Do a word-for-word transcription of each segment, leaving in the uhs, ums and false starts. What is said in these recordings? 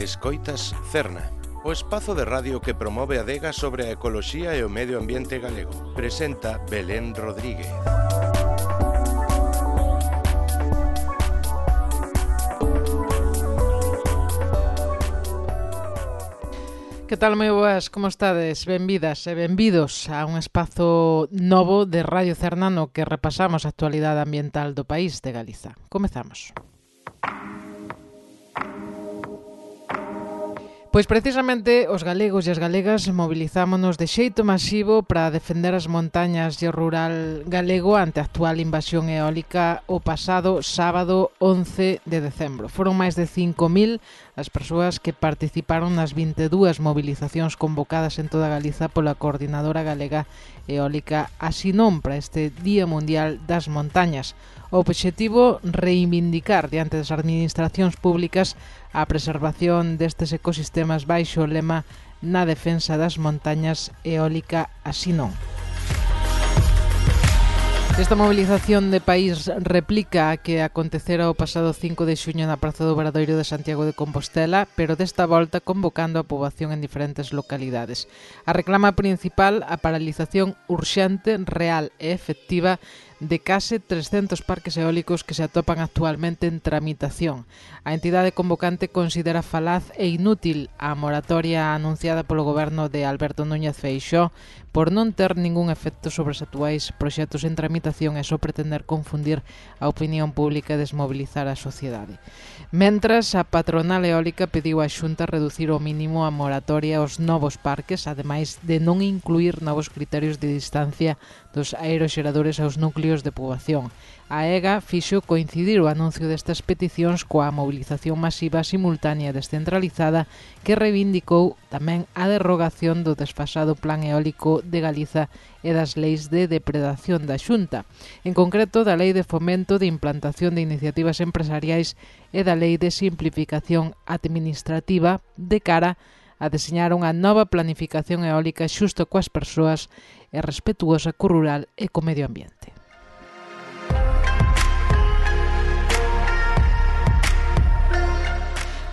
Escoitas Cerna, o espazo de radio que promove a adega sobre a ecoloxía e o medio ambiente galego. Presenta Belén Rodríguez. Que tal, moi boas, como estades? Benvidas e benvidos a un espazo novo de Radio Cerna no que repasamos a actualidade ambiental do país de Galiza. Comezamos. Pois precisamente os galegos e as galegas movilizámonos de xeito masivo para defender as montañas e o rural galego ante a actual invasión eólica o pasado sábado once de decembro. Foron máis de cinco mil as persoas que participaron nas vinte e dúas movilizacións convocadas en toda Galiza pola Coordinadora Galega Eólica Asinón para este Día Mundial das Montañas. O obxectivo, reivindicar diante das administracións públicas a preservación destes ecosistemas baixo o lema na defensa das montañas eólica Asinón. Esta movilización de país replica a que acontecera o pasado cinco de xuño na Praza do Obradoiro de Santiago de Compostela, pero desta volta convocando a poboación en diferentes localidades. A reclama principal, a paralización urxente, real e efectiva de case trescentos parques eólicos que se atopan actualmente en tramitación. A entidade convocante considera falaz e inútil a moratoria anunciada polo goberno de Alberto Núñez Feixóo por non ter ningún efecto sobre os actuais proxectos en tramitación e só pretender confundir a opinión pública e desmobilizar a sociedade. Mentras, a patronal eólica pediu á Xunta reducir ao mínimo a moratoria aos novos parques, ademais de non incluir novos criterios de distancia dos aeroxeradores aos núcleos de poboación. A EGA fixo coincidir o anuncio destas peticións coa mobilización masiva simultánea e descentralizada que reivindicou tamén a derrogación do desfasado Plan Eólico de Galiza e das leis de depredación da Xunta, en concreto da Lei de Fomento de Implantación de Iniciativas Empresariais e da Lei de Simplificación Administrativa de cara a deseñar unha nova planificación eólica xusto coas persoas e respetuosa co rural e co medio ambiente.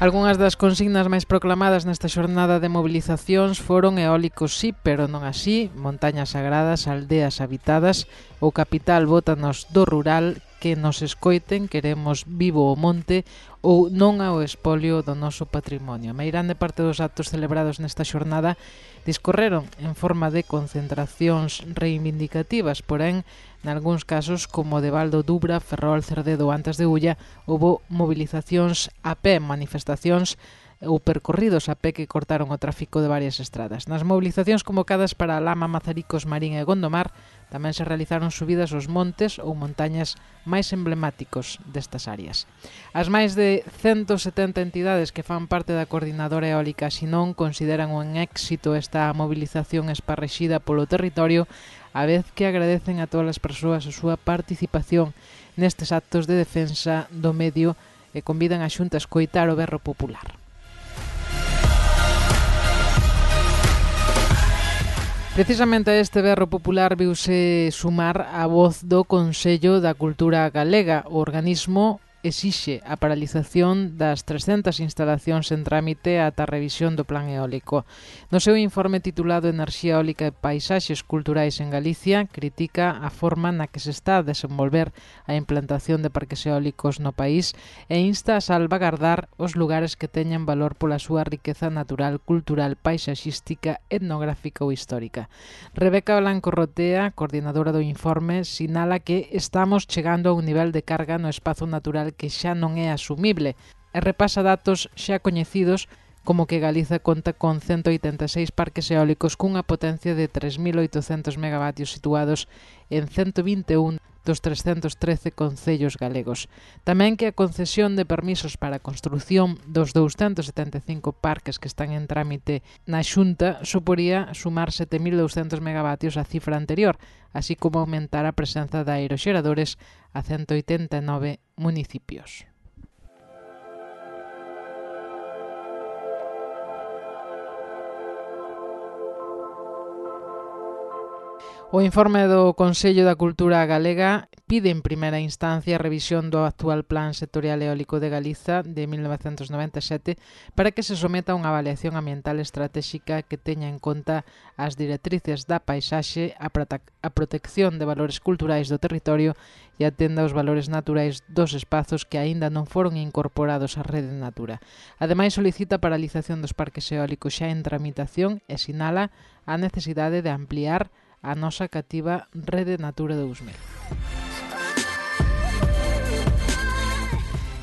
Algúnas das consignas máis proclamadas nesta xornada de movilizacións foron eólicos sí, pero non así, montañas sagradas, aldeas habitadas, o capital bótanos do rural, que nos escoiten, queremos vivo o monte ou non ao espolio do noso patrimonio. A meirande parte dos actos celebrados nesta xornada discorreron en forma de concentracións reivindicativas, porén, nalgúns casos, como de Valdo, Dubra, Ferrol, Cerdedo ou Antas de Ulla, houbo movilizacións a pé, manifestacións ou percorridos a pé que cortaron o tráfico de varias estradas. Nas movilizacións convocadas para Lama, Mazaricos, Marín e Gondomar tamén se realizaron subidas aos montes ou montañas máis emblemáticos destas áreas. As máis de ciento setenta entidades que fan parte da Coordinadora Eólica Asinón consideran un éxito esta movilización esparrexida polo territorio, a vez que agradecen a todas as persoas a súa participación nestes actos de defensa do medio e convidan a Xunta a escoitar o berro popular. Precisamente a este berro popular viuse sumar a voz do Consello da Cultura Galega. O organismo exixe a paralización das trescentas instalacións en trámite ata a revisión do plan eólico. No seu informe titulado Enerxía eólica e paisaxes culturais en Galicia, critica a forma na que se está a desenvolver a implantación de parques eólicos no país e insta a salvagardar os lugares que teñan valor pola súa riqueza natural, cultural, paisaxística, etnográfica ou histórica. Rebeca Blanco Rotea, coordinadora do informe, sinala que estamos chegando a un nivel de carga no espazo natural que xa non é asumible e repasa datos xa coñecidos como que Galiza conta con ciento oitenta e seis parques eólicos cunha potencia de tres mil oitocentos megavatios situados en ciento vinte e un dos trescentos trece concellos galegos. Tamén que a concesión de permisos para a construción dos douscentos setenta e cinco parques que están en trámite na Xunta suporía sumar sete mil douscentos megavatios á cifra anterior, así como aumentar a presenza de aeroxeradores a ciento oitenta e nove municipios. O informe do Consello da Cultura Galega pide en primeira instancia a revisión do actual Plan Sectorial Eólico de Galiza de mil novecentos noventa e sete para que se someta a unha avaliación ambiental estratégica que teña en conta as directrices da paisaxe, a, a protección de valores culturais do territorio e atenda aos valores naturais dos espazos que aínda non foron incorporados á rede Natura. Ademais, solicita a paralización dos parques eólicos xa en tramitación e sinala a necesidade de ampliar a nosa cativa rede Natura dous mil.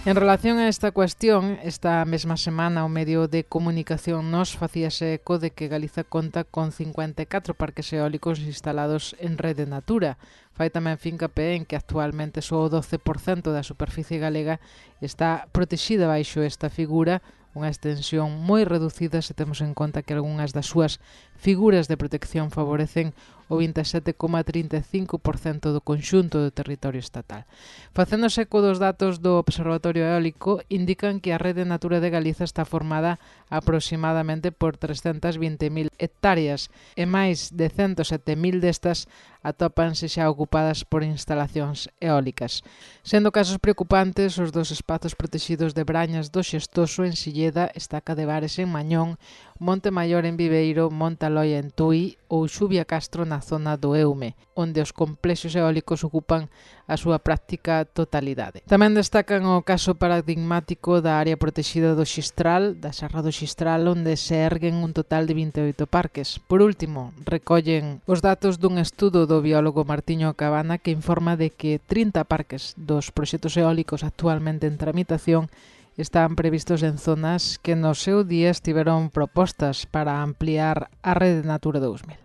En relación a esta cuestión, esta mesma semana o medio de comunicación Nós facíase eco de que Galiza conta con cincuenta e catro parques eólicos instalados en rede Natura. Fai tamén fincapé en que actualmente só o doce por cento da superficie galega está protexida baixo esta figura, unha extensión moi reducida se temos en conta que algunhas das súas figuras de protección favorecen o vinte e sete coma trinta e cinco por cento do conxunto do territorio estatal. Facéndose eco dos datos do Observatorio Eólico, indican que a rede Natura de Galiza está formada aproximadamente por trescentas vinte mil hectáreas e máis de ciento sete mil destas atópanse xa ocupadas por instalacións eólicas. Sendo casos preocupantes os dos espazos protegidos de Brañas do Xestoso en Silleda, Estaca de Bares en Mañón, Monte Maior en Viveiro, Monte Aloia en Tui ou Xubia Castro na zona do Eume, onde os complexos eólicos ocupan a súa práctica totalidade. Tamén destacan o caso paradigmático da área protexida do Xistral, da Serra do Xistral, onde se erguen un total de vinte e oito parques. Por último, recollen os datos dun estudo do biólogo Martiño Cabana que informa de que trinta parques dos proxectos eólicos actualmente en tramitación están previstos en zonas que no seu día estiveron propostas para ampliar a rede Natura dous mil.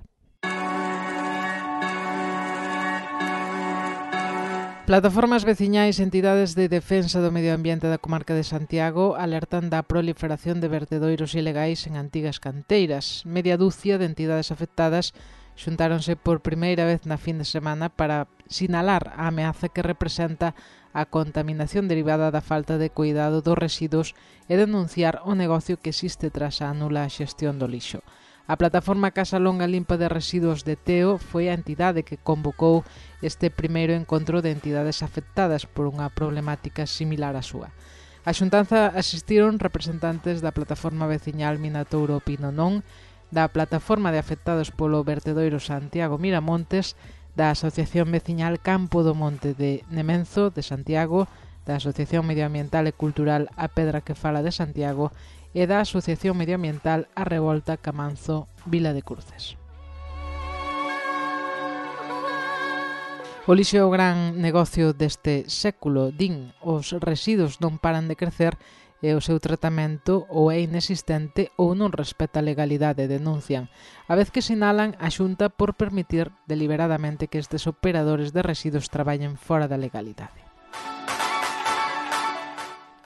Plataformas veciñais e entidades de defensa do medio ambiente da comarca de Santiago alertan da proliferación de vertedoiros ilegais en antigas canteiras. Media dúcia de entidades afectadas xuntáronse por primeira vez na fin de semana para sinalar a ameaza que representa a contaminación derivada da falta de cuidado dos residuos e denunciar o negocio que existe tras a nula xestión do lixo. A plataforma Casa Longa Limpa de Residuos de Teo foi a entidade que convocou este primeiro encontro de entidades afectadas por unha problemática similar á súa. A xuntanza asistiron representantes da plataforma veciñal Minatouro Pino Non, da plataforma de afectados polo vertedoiro Santiago Miramontes, da Asociación Veciñal Campo do Monte de Nemenzo de Santiago, da Asociación Medioambiental e Cultural A Pedra que Fala de Santiago e da Asociación Medioambiental A Revolta Camanzo Vila de Cruces. O lixo é o gran negocio deste século, din, os residuos non paran de crecer e o seu tratamento ou é inexistente ou non respeta a legalidade, denuncian, a vez que sinalan a Xunta por permitir deliberadamente que estes operadores de residuos traballen fora da legalidade.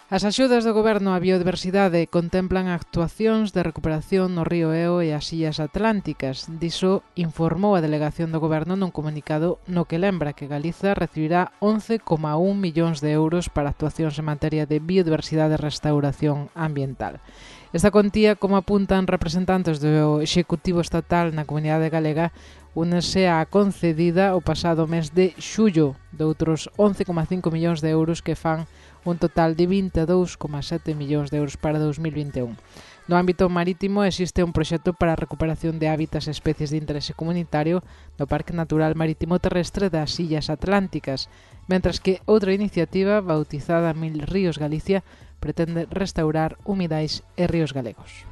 As axudas do Goberno á biodiversidade contemplan actuacións de recuperación no río Eo e as illas atlánticas. Diso informou a Delegación do Goberno nun comunicado no que lembra que Galiza recibirá once coma un millóns de euros para actuacións en materia de biodiversidade e restauración ambiental. Esta contía, como apuntan representantes do Executivo Estatal na Comunidade Galega, únese á concedida o pasado mes de xullo de outros once coma cinco millóns de euros que fan un total de vinte e dous coma sete millóns de euros para dos mil vinte e un. No ámbito marítimo existe un proxecto para a recuperación de hábitats e especies de interese comunitario no Parque Natural Marítimo Terrestre das Illas Atlánticas, mentras que outra iniciativa, bautizada Mil Ríos Galicia, pretende restaurar humidais e ríos galegos.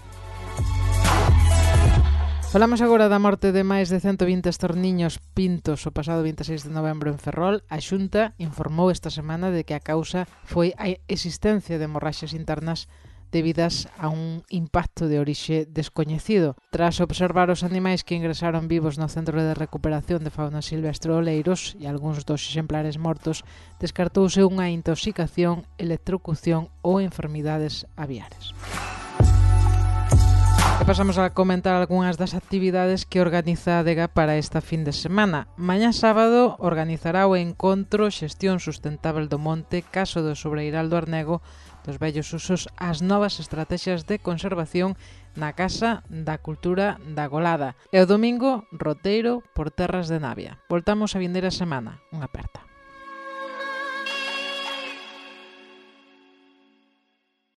Falamos agora da morte de máis de cento vinte estorniños pintos o pasado vinte e seis de novembro en Ferrol. A Xunta informou esta semana de que a causa foi a existencia de hemorraxias internas debidas a un impacto de orixe descoñecido. Tras observar os animais que ingresaron vivos no Centro de Recuperación de Fauna Silvestre Oleiros e algúns dos exemplares mortos, descartouse unha intoxicación, electrocución ou enfermidades aviares. E pasamos a comentar algunhas das actividades que organiza a Adega para esta fin de semana. Mañá sábado organizará o encontro Xestión Sustentável do Monte, caso do Sobreiral do Arnego, dos vellos usos ás novas estrategias de conservación na Casa da Cultura da Golada. E o domingo, roteiro por terras de Navia. Voltamos a vindeira semana. Unha aperta.